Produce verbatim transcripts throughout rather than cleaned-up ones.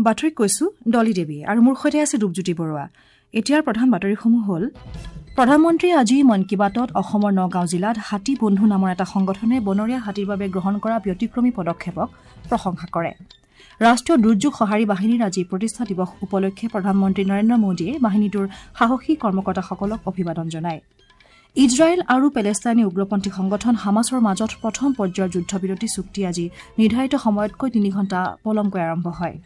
বাতৰি কৈছো ডলি দেৱী আৰু মোৰ সৈতে আছে ৰূপজ্যোতি বৰুৱা। এতিয়াৰ প্ৰধান বাতৰিসমূহ হ'ল: প্ৰধানমন্ত্ৰীয়ে আজি মন কী বাতত অসমৰ নগাঁও জিলাত হাতী বন্ধু নামৰ এটা সংগঠনে বনৰীয়া হাতীৰ বাবে গ্ৰহণ কৰা ব্যতিক্ৰমী পদক্ষেপক প্ৰশংসা কৰে। ৰাষ্ট্ৰীয় দুৰ্যোগ সঁহাৰি বাহিনীৰ আজি প্ৰতিষ্ঠা দিৱস উপলক্ষে প্ৰধানমন্ত্ৰী নৰেন্দ্ৰ মোদীয়ে বাহিনীটোৰ সাহসী কৰ্মকৰ্তাসকলক অভিবাদন জনায়। ইজৰাইল আৰু পেলেষ্টাইনী উগ্ৰপন্থী সংগঠন হামাছৰ মাজত প্ৰথম পৰ্যায়ৰ যুদ্ধবিৰতি চুক্তি আজি নিৰ্ধাৰিত সময়তকৈ তিনি ঘণ্টা পলমকৈ আৰম্ভ হয়।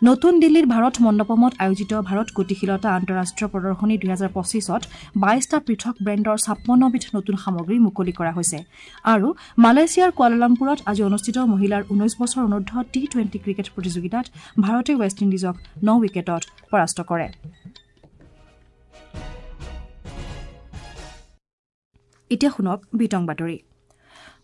নতুন দিল্লীৰ ভাৰত মণ্ডপমত আয়োজিত ভাৰত গতিশীলতা আন্তঃৰাষ্ট্ৰীয় প্ৰদৰ্শনী দুহেজাৰ পঁচিছত বাইশটা পৃথক ব্ৰেণ্ডৰ ছাপন্নবিধ নতুন সামগ্ৰী মুকলি কৰা হৈছে। আৰু মালয়েছিয়াৰ কুৱালালামপুৰত আজি অনুষ্ঠিত মহিলাৰ ঊনৈশ বছৰ অনুৰ্ধ টি টুৱেণ্টি ক্ৰিকেট প্ৰতিযোগিতাত ভাৰতে ৱেষ্ট ইণ্ডিজক ন উইকেটত পৰাস্ত কৰে। এতিয়া শুনক বিতং বাতৰি।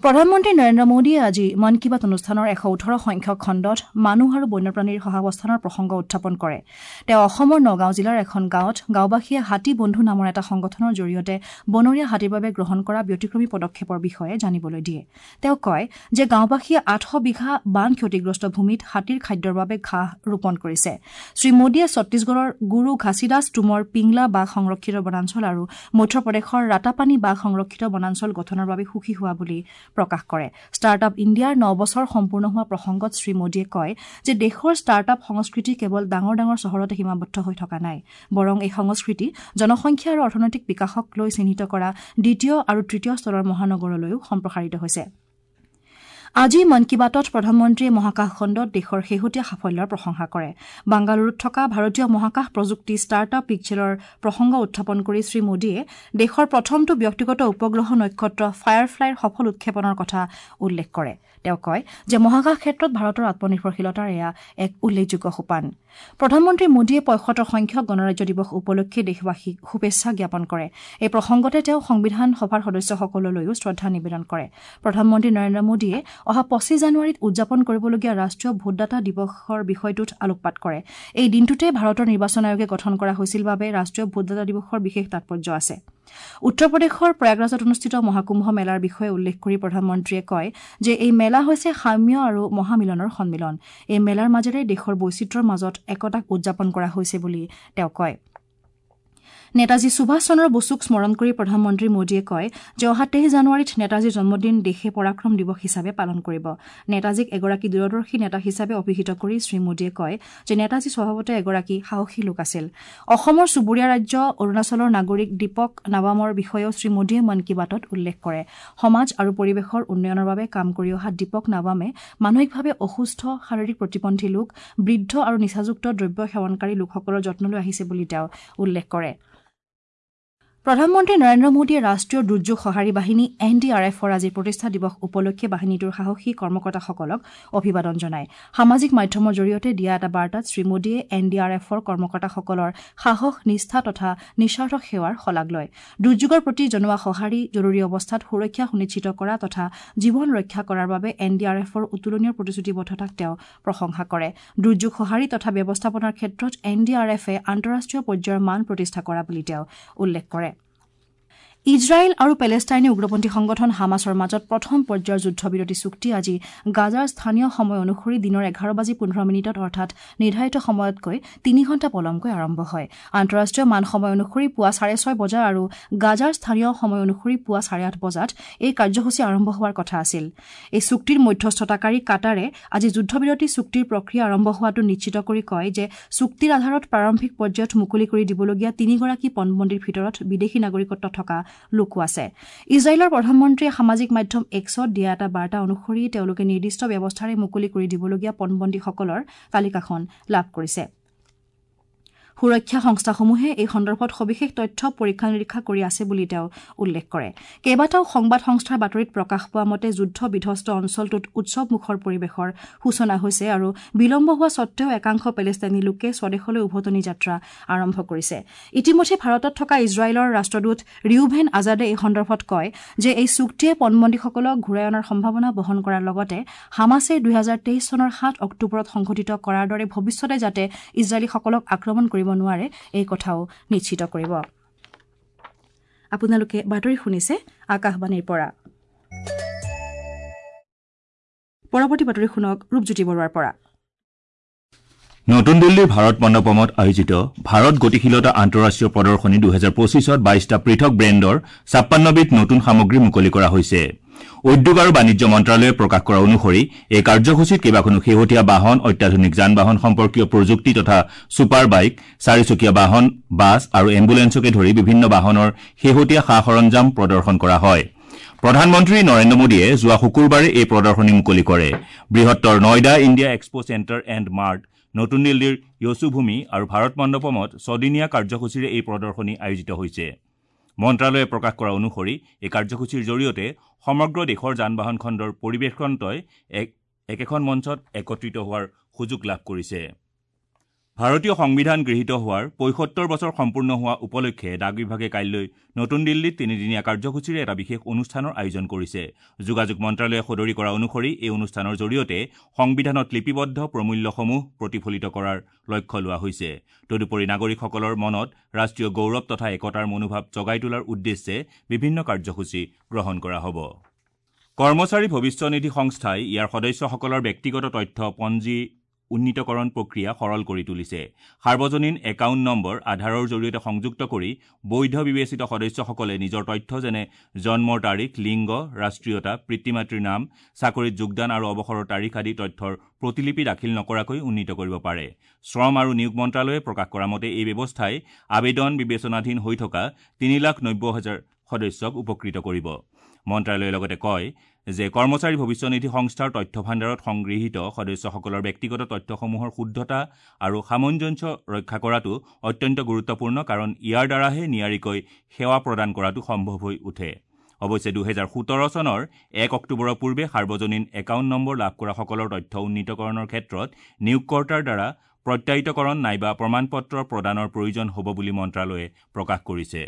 প্ৰধানমন্ত্ৰী নৰেন্দ্ৰ মোদীয়ে আজি মন কী বাত অনুষ্ঠানৰ এশ ওঠৰ সংখ্যক খণ্ডত মানুহ আৰু বন্যপ্ৰাণীৰ সহাৱস্থানৰ প্ৰসংগ উত্থাপন কৰে। তেওঁ অসমৰ নগাঁও জিলাৰ এখন গাঁৱত গাঁওবাসীয়ে হাতী বন্ধু নামৰ এটা সংগঠনৰ জৰিয়তে বনৰীয়া হাতীৰ বাবে গ্ৰহণ কৰা ব্যতিক্ৰমী পদক্ষেপৰ বিষয়ে জানিবলৈ দিয়ে। তেওঁ কয় যে গাঁওবাসীয়ে আঠশ বিঘা বান ক্ষতিগ্ৰস্ত ভূমিত হাতীৰ খাদ্যৰ বাবে ঘাঁহ ৰোপণ কৰিছে। শ্ৰীমোদীয়ে ছত্তীশগড়ৰ গুৰু ঘাছিদাস টুমৰ পিংলা বাঘ সংৰক্ষিত বনাঞ্চল আৰু মধ্যপ্ৰদেশৰ ৰাতাপানী বাঘ সংৰক্ষিত বনাঞ্চল গঠনৰ বাবে সুখী হোৱা বুলি প্ৰকাশ কৰে। ষ্টাৰ্টআপ ইণ্ডিয়াৰ ন বছৰ সম্পূৰ্ণ হোৱা প্ৰসংগত শ্ৰীমোদীয়ে কয় যে দেশৰ ষ্টাৰ্টআপ সংস্কৃতি কেৱল ডাঙৰ ডাঙৰ চহৰতে সীমাবদ্ধ হৈ থকা নাই, বৰং এই সংস্কৃতি জনসংখ্যা আৰু অৰ্থনৈতিক বিকাশক লৈ চিহ্নিত কৰা দ্বিতীয় আৰু তৃতীয় স্তৰৰ মহানগৰলৈও সম্প্ৰসাৰিত হৈছে। আজি মন কী বাতত প্ৰধানমন্ত্ৰীয়ে মহাকাশ খণ্ডত দেশৰ শেহতীয়া সাফল্যৰ প্ৰশংসা কৰে। বাংগালুৰুত থকা ভাৰতীয় মহাকাশ প্ৰযুক্তি ষ্টাৰ্টআপ পিক্সেলৰ প্ৰসংগ উত্থাপন কৰি শ্ৰীমোদীয়ে দেশৰ প্ৰথমটো ব্যক্তিগত উপগ্ৰহ নক্ষত্ৰ ফায়াৰফ্লাইৰ সফল উৎক্ষেপণৰ কথা উল্লেখ কৰে। তেওঁ কয় যে মহাকাশ ক্ষেত্ৰত ভাৰতৰ আত্মনিৰ্ভৰশীলতাৰ এয়া এক উল্লেখযোগ্য সোপান। প্ৰধানমন্ত্ৰী মোদীয়ে পঁয়সত্তৰ সংখ্যক গণৰাজ্য দিৱস উপলক্ষে দেশবাসীক শুভেচ্ছা জ্ঞাপন কৰে। এই প্ৰসংগতে তেওঁ সংবিধান সভাৰ সদস্যসকললৈও শ্ৰদ্ধা নিবেদন কৰে। প্ৰধানমন্ত্ৰী নৰেন্দ্ৰ মোদীয়ে অহা পঁচিছ জানুৱাৰীত উদযাপন কৰিবলগীয়া ৰাষ্ট্ৰীয় ভোটদাতা দিৱসৰ বিষয়টোত আলোকপাত কৰে। এই দিনটোতে ভাৰতৰ নিৰ্বাচন আয়োগে গঠন কৰা হৈছিল বাবে ৰাষ্ট্ৰীয় ভোটদাতা দিৱসৰ বিশেষ তাৎপৰ্য আছে। উত্তৰ প্ৰদেশৰ প্ৰয়াগৰাজত অনুষ্ঠিত মহাকুম্ভ মেলাৰ বিষয়ে উল্লেখ কৰি প্ৰধানমন্ত্ৰীয়ে কয় যে এই মেলা হৈছে সাম্য আৰু মহামিলনৰ সন্মিলন। এই মেলাৰ মাজেৰে দেশৰ বৈচিত্ৰ্যৰ মাজত একতাক উদযাপন কৰা হৈছে বুলি তেওঁ কয়। নেতাজী সুভাষ চন্দ্ৰ বসুক স্মৰণ কৰি প্ৰধানমন্ত্ৰী মোদীয়ে কয় যে অহা তেইছ জানুৱাৰীত নেতাজীৰ জন্মদিন দেশে পৰাক্ৰম দিৱস হিচাপে পালন কৰিব। নেতাজীক এগৰাকী দূৰদৰ্শী নেতা হিচাপে অভিহিত কৰি শ্ৰীমোদীয়ে কয় যে নেতাজী স্বভাৱতে এগৰাকী সাহসী লোক আছিল। অসমৰ চুবুৰীয়া ৰাজ্য অৰুণাচলৰ নাগৰিক দীপক নাবামৰ বিষয়েও শ্ৰীমোদীয়ে মন কী বাতত উল্লেখ কৰে। সমাজ আৰু পৰিৱেশৰ উন্নয়নৰ বাবে কাম কৰি অহা দীপক নাবামে মানসিকভাৱে অসুস্থ, শাৰীৰিক প্ৰতিবন্ধী লোক, বৃদ্ধ আৰু নিচাযুক্ত দ্ৰব্য সেৱনকাৰী লোকসকলৰ যত্ন লৈ আহিছে বুলি তেওঁ উল্লেখ কৰে। প্ৰধানমন্ত্ৰী নৰেন্দ্ৰ মোদীয়ে ৰাষ্ট্ৰীয় দুৰ্যোগ সঁহাৰি বাহিনী এন ডি আৰ এফৰ আজি প্ৰতিষ্ঠা দিৱস উপলক্ষে বাহিনীটোৰ সাহসী কৰ্মকৰ্তাসকলক অভিবাদন জনায়। সামাজিক মাধ্যমৰ জৰিয়তে দিয়া এটা বাৰ্তাত শ্ৰীমোদীয়ে এন ডি আৰ এফৰ কৰ্মকৰ্তাসকলৰ সাহস, নিষ্ঠা তথা নিস্বাৰ্থ সেৱাৰ শলাগ লয়। দুৰ্যোগৰ প্ৰতি জনোৱা সঁহাৰি, জৰুৰী অৱস্থাত সুৰক্ষা সুনিশ্চিত কৰা তথা জীৱন ৰক্ষা কৰাৰ বাবে এন ডি আৰ এফৰ অতুলনীয় প্ৰতিশ্ৰুতিবদ্ধতাক তেওঁ প্ৰশংসা কৰে। দুৰ্যোগ সঁহাৰি তথা ব্যৱস্থাপনাৰ ক্ষেত্ৰত এন ডি আৰ এফে আন্তঃৰাষ্ট্ৰীয় পৰ্যায়ৰ মান প্ৰতিষ্ঠা কৰা বুলি তেওঁ উল্লেখ কৰে। ইজৰাইল আৰু পেলেষ্টাইনী উগ্ৰপন্থী সংগঠন হামাছৰ মাজত প্ৰথম পৰ্যায়ৰ যুদ্ধবিৰতি চুক্তি আজি গাজাৰ স্থানীয় সময় অনুসৰি দিনৰ এঘাৰ বাজি পোন্ধৰ মিনিটত অৰ্থাৎ নিৰ্ধাৰিত সময়তকৈ তিনি ঘণ্টা পলমকৈ আৰম্ভ হয়। আন্তঃৰাষ্ট্ৰীয় মান সময় অনুসৰি পুৱা চাৰে ছয় বজা আৰু গাজাৰ স্থানীয় সময় অনুসৰি পুৱা চাৰে আঠ বজাত এই কাৰ্যসূচী আৰম্ভ হোৱাৰ কথা আছিল। এই চুক্তিৰ মধ্যস্থতাকাৰী কাটাৰে আজি যুদ্ধবিৰতি চুক্তিৰ প্ৰক্ৰিয়া আৰম্ভ হোৱাটো নিশ্চিত কৰি কয় যে চুক্তিৰ আধাৰত প্ৰাৰম্ভিক পৰ্যায়ত মুকলি কৰি দিবলগীয়া তিনিগৰাকী পণবন্দীৰ ভিতৰত বিদেশী নাগৰিকত্ব থকা লোকো আছে। ইজৰাইলৰ প্ৰধানমন্ত্ৰীয়ে সামাজিক মাধ্যম এক্সত দিয়া এটা বাৰ্তা অনুসৰি তেওঁলোকে নিৰ্দিষ্ট ব্যৱস্থাৰে মুকলি কৰি দিবলগীয়া পণবন্দীসকলৰ তালিকাখন লাভ কৰিছে। সুৰক্ষা সংস্থাসমূহে এই সন্দৰ্ভত সবিশেষ তথ্য পৰীক্ষা নিৰীক্ষা কৰি আছে বুলি তেওঁ উল্লেখ কৰে। কেইবাটাও সংবাদ সংস্থাৰ বাতৰিত প্ৰকাশ পোৱা মতে যুদ্ধ বিধ্বস্ত অঞ্চলটোত উৎসৱমুখৰ পৰিৱেশৰ সূচনা হৈছে আৰু বিলম্ব হোৱা সত্ত্বেও একাংশ পেলেষ্টাইনী লোকে স্বদেশলৈ উভতনি যাত্ৰা আৰম্ভ কৰিছে। ইতিমধ্যে ভাৰতত থকা ইজৰাইলৰ ৰাষ্ট্ৰদূত ৰিউভেন আজাদে এই সন্দৰ্ভত কয় যে এই চুক্তিয়ে পণবন্দীসকলক ঘূৰাই অনাৰ সম্ভাৱনা বহন কৰাৰ লগতে হামাছে দুহেজাৰ তেইছ চনৰ সাত অক্টোবৰত সংঘটিত কৰাৰ দৰে ভৱিষ্যতে যাতে ইজৰাইলীসকলক আক্ৰমণ কৰিব নোৱাৰে এই কথাও নিশ্চিত কৰিব। আপোনালোকে বাতৰি শুনিছে আকাশবাণীৰ পৰা। পৰৱৰ্তী বাতৰি শুনক ৰূপজ্যোতি বৰুৱাৰ পৰা। নতুন দিল্লীৰ ভাৰত মণ্ডপমত আয়োজিত ভাৰত গতিশীলতা আন্তঃৰাষ্ট্ৰীয় প্ৰদৰ্শনী দুহেজাৰ পঁচিছত বাইশটা পৃথক ব্ৰেণ্ডৰ ছাপ্পান্নবিধ নতুন সামগ্ৰী মুকলি কৰা হৈছে। উদ্যোগ আৰু বাণিজ্য মন্ত্ৰালয়ে প্ৰকাশ কৰা অনুসৰি এই কাৰ্যসূচীত কেইবাখনো শেহতীয়া বাহন, অত্যাধুনিক যান বাহন সম্পৰ্কীয় প্ৰযুক্তি তথা ছুপাৰ বাইক, চাৰিচকীয়া বাহন, বাছ আৰু এম্বুলেন্সকে ধৰি বিভিন্ন বাহনৰ শেহতীয়া সা সৰঞ্জাম প্ৰদৰ্শন কৰা হয়। প্ৰধানমন্ত্ৰী নৰেন্দ্ৰ মোদীয়ে যোৱা শুকুৰবাৰে এই প্ৰদৰ্শনী মুকলি কৰে। বৃহত্তৰ Noida India Expo Centre and Mart, নতুন দিল্লীৰ য়চুভূমি আৰু ভাৰত মণ্ডপমত ছদিনীয়া কাৰ্যসূচীৰে এই প্ৰদৰ্শনী আয়োজিত হৈছে। মন্ত্ৰালয়ে প্ৰকাশ কৰা অনুসৰি এই কাৰ্যসূচীৰ জৰিয়তে সমগ্ৰ দেশৰ যান বাহন খণ্ডৰ পৰিৱেশতন্ত্ৰই একেখন মঞ্চত একত্ৰিত হোৱাৰ সুযোগ লাভ কৰিছে। ভাৰতীয় সংবিধান গৃহীত হোৱাৰ পঁয়সত্তৰ বছৰ সম্পূৰ্ণ হোৱা উপলক্ষে ডাক বিভাগে কাইলৈ নতুন দিল্লীত তিনিদিনীয়া কাৰ্যসূচীৰে এটা বিশেষ অনুষ্ঠানৰ আয়োজন কৰিছে। যোগাযোগ মন্ত্ৰালয়ে সদৰি কৰা অনুসৰি এই অনুষ্ঠানৰ জৰিয়তে সংবিধানত লিপিবদ্ধ প্ৰমূল্যসমূহ প্ৰতিফলিত কৰাৰ লক্ষ্য লোৱা হৈছে। তদুপৰি নাগৰিকসকলৰ মনত ৰাষ্ট্ৰীয় গৌৰৱ তথা একতাৰ মনোভাৱ জগাই তোলাৰ উদ্দেশ্যে বিভিন্ন কাৰ্যসূচী গ্ৰহণ কৰা হ'ব। কৰ্মচাৰী ভৱিষ্যনিধি সংস্থাই ইয়াৰ সদস্যসকলৰ ব্যক্তিগত তথ্য পঞ্জী উন্নীতকৰণ প্ৰক্ৰিয়া সৰল কৰি তুলিছে। সাৰ্বজনীন একাউণ্ট নম্বৰ আধাৰৰ জৰিয়তে সংযুক্ত কৰি বৈধ বিবেচিত সদস্যসকলে নিজৰ তথ্য যেনে জন্মৰ তাৰিখ, লিংগ, ৰাষ্ট্ৰীয়তা, পিতৃ মাতৃৰ নাম, চাকৰিত যোগদান আৰু অৱসৰৰ তাৰিখ আদি তথ্যৰ প্ৰতিলিপি দাখিল নকৰাকৈ উন্নীত কৰিব পাৰে। শ্ৰম আৰু নিয়োগ মন্ত্ৰালয়ে প্ৰকাশ কৰা মতে এই ব্যৱস্থাই আবেদন বিবেচনাধীন হৈ থকা তিনি লাখ নব্বৈ হাজাৰ সদস্যক উপকৃত কৰিব। মন্ত্ৰালয়ে লগতে কয় যে কৰ্মচাৰী ভৱিষ্যনিধি সংস্থাৰ তথ্য ভাণ্ডাৰত সংগৃহীত সদস্যসকলৰ ব্যক্তিগত তথ্যসমূহৰ শুদ্ধতা আৰু সামঞ্জস্য ৰক্ষা কৰাটো অত্যন্ত গুৰুত্বপূৰ্ণ, কাৰণ ইয়াৰ দ্বাৰাহে নিয়াৰিকৈ সেৱা প্ৰদান কৰাটো সম্ভৱ হৈ উঠে। অৱশ্যে দুহেজাৰ সোতৰ চনৰ এক অক্টোবৰৰ পূৰ্বে সাৰ্বজনীন একাউণ্ট নম্বৰ লাভ কৰাসকলৰ তথ্য উন্নীতকৰণৰ ক্ষেত্ৰত নিয়োগকৰ্তাৰ দ্বাৰা প্ৰত্যায়িতকৰণ নাইবা প্ৰমাণপত্ৰ প্ৰদানৰ প্ৰয়োজন হ'ব বুলি মন্ত্ৰালয়ে প্ৰকাশ কৰিছে।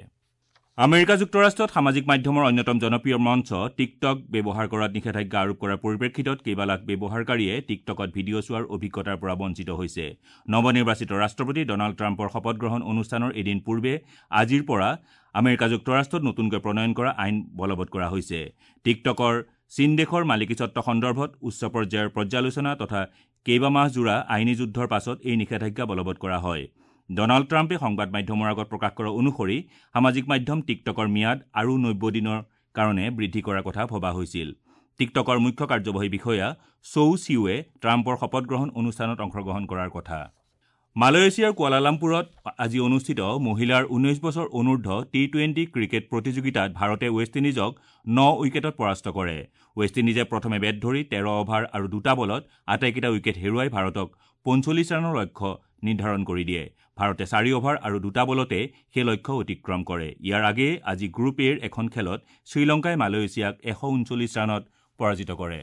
আমেৰিকা যুক্তৰাষ্ট্ৰত সামাজিক মাধ্যমৰ অন্যতম জনপ্ৰিয় মঞ্চ টিকটক ব্যৱহাৰ কৰাত নিষেধাজ্ঞা আৰোপ কৰাৰ পৰিপ্ৰেক্ষিতত কেইবালাখ ব্যৱহাৰকাৰীয়ে টিকটকত ভিডিঅ' চোৱাৰ অভিজ্ঞতাৰ পৰা বঞ্চিত হৈছে। নৱনিৰ্বাচিত ৰাষ্ট্ৰপতি ডনাল্ড ট্ৰাম্পৰ শপতগ্ৰহণ অনুষ্ঠানৰ এদিন পূৰ্বে আজিৰ পৰা আমেৰিকা যুক্তৰাষ্ট্ৰত নতুনকৈ প্ৰণয়ন কৰা আইন বলবৎ কৰা হৈছে। টিকটকৰ চীন দেশৰ মালিকীস্বত্ব সন্দৰ্ভত উচ্চ পৰ্যায়ৰ পৰ্যালোচনা তথা কেইবামাহজোৰা আইনী যুদ্ধৰ পাছত এই নিষেধাজ্ঞা বলবৎ কৰা হয়। ডনাল্ড ট্ৰাম্পে সংবাদ মাধ্যমৰ আগত প্ৰকাশ কৰা অনুসৰি সামাজিক মাধ্যম টিকটকৰ ম্যাদ আৰু নব্বৈ দিনৰ কাৰণে বৃদ্ধি কৰাৰ কথা ভবা হৈছিল। টিকটকৰ মুখ্য কাৰ্যবাহী বিষয়া চৌ চিউৱে ট্ৰাম্পৰ শপতগ্ৰহণ অনুষ্ঠানত অংশগ্ৰহণ কৰাৰ কথা। মালয়েছিয়াৰ কুৱালালামপুৰত আজি অনুষ্ঠিত মহিলাৰ ঊনৈশ বছৰ অনুৰ্ধ টি টুৱেণ্টি ক্ৰিকেট প্ৰতিযোগিতাত ভাৰতে ৱেষ্ট ইণ্ডিজক ন উইকেটত পৰাস্ত কৰে। ৱেষ্ট ইণ্ডিজে প্ৰথমে বেট ধৰি তেৰ অভাৰ আৰু দুটা বলত আটাইকেইটা উইকেট হেৰুৱাই ভাৰতক পঞ্চল্লিছ ৰানৰ লক্ষ্য নিৰ্ধাৰণ কৰি দিয়ে। ভাৰতে চাৰি অভাৰ আৰু দুটা বলতে সেই লক্ষ্য অতিক্ৰম কৰে। ইয়াৰ আগেয়ে আজি গ্ৰুপ এৰ এখন খেলত শ্ৰীলংকাই মালয়েছিয়াক এশ ঊনচল্লিছ ৰানত পৰাজিত কৰে।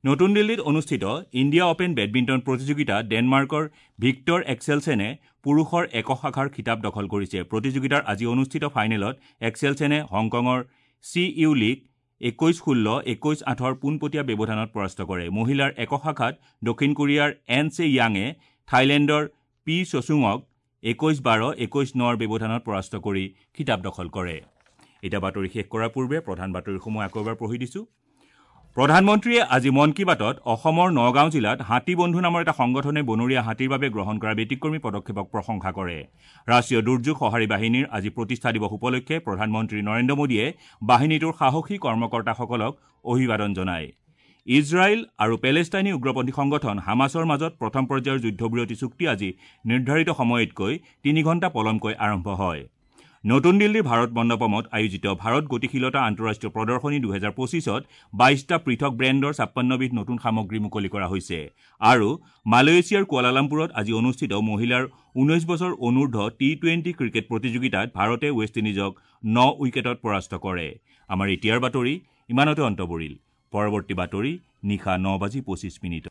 নতুন দিল্লীত অনুষ্ঠিত ইণ্ডিয়া অপেন বেডমিণ্টন প্ৰতিযোগিতাত ডেনমাৰ্কৰ ভিক্টৰ এক্সেলছেনে পুৰুষৰ একক শাখাৰ খিতাপ দখল কৰিছে। প্ৰতিযোগিতাৰ আজি অনুষ্ঠিত ফাইনেলত এক্সেলছেনে হংকঙৰ চি ইউ লীগ একৈশ ষোল্ল একৈশ আঠৰ পোনপটীয়া ব্যৱধানত পৰাস্ত কৰে। মহিলাৰ একক শাখাত দক্ষিণ কোৰিয়াৰ এন চে য়াঙে থাইলেণ্ডৰ পি চচুঙক একৈশ বাৰ একৈশ নৰ ব্যৱধানত পৰাস্ত কৰি খিতাপ দখল কৰে। এতিয়া বাতৰি শেষ কৰাৰ পূৰ্বে প্ৰধান বাতৰিসমূহ আকৌ এবাৰ পঢ়ি দিছোঁ। প্ৰধানমন্ত্ৰীয়ে আজি মন কী বাতত অসমৰ নগাঁও জিলাত হাতী বন্ধু নামৰ এটা সংগঠনে বনৰীয়া হাতীৰ বাবে গ্ৰহণ কৰা ব্যতিক্ৰমী পদক্ষেপক প্ৰশংসা কৰে। ৰাষ্ট্ৰীয় দুৰ্যোগ সঁহাৰি বাহিনীৰ আজি প্ৰতিষ্ঠা দিৱস উপলক্ষে প্ৰধানমন্ত্ৰী নৰেন্দ্ৰ মোদীয়ে বাহিনীটোৰ সাহসী কৰ্মকৰ্তাসকলক অভিবাদন জনায়। ইজৰাইল আৰু পেলেষ্টাইনী উগ্ৰপন্থী সংগঠন হামাছৰ মাজত প্ৰথম পৰ্যায়ৰ যুদ্ধবিৰতি চুক্তি আজি নিৰ্ধাৰিত সময়তকৈ তিনি ঘণ্টা পলমকৈ আৰম্ভ হয়। নতুন দিল্লীৰ ভাৰত মণ্ডপমত আয়োজিত ভাৰত গতিশীলতা আন্তঃৰাষ্ট্ৰীয় প্ৰদৰ্শনী দুহেজাৰ পঁচিছত বাইশটা পৃথক ব্ৰেণ্ডৰ ছাপ্পান্নবিধ নতুন সামগ্ৰী মুকলি কৰা হৈছে। আৰু মালয়েছিয়াৰ কুৱালালামপুৰত আজি অনুষ্ঠিত মহিলাৰ ঊনৈশ বছৰ অনুৰ্ধ টি টুৱেণ্টি ক্ৰিকেট প্ৰতিযোগিতাত ভাৰতে ৱেষ্ট ইণ্ডিজক ন উইকেটত পৰাস্ত কৰে। আমাৰ এতিয়াৰ বাতৰি ইমানতে অন্ত পৰিল। পৰৱৰ্তী বাতৰি নিশা ন বাজি পঁচিছ মিনিটত।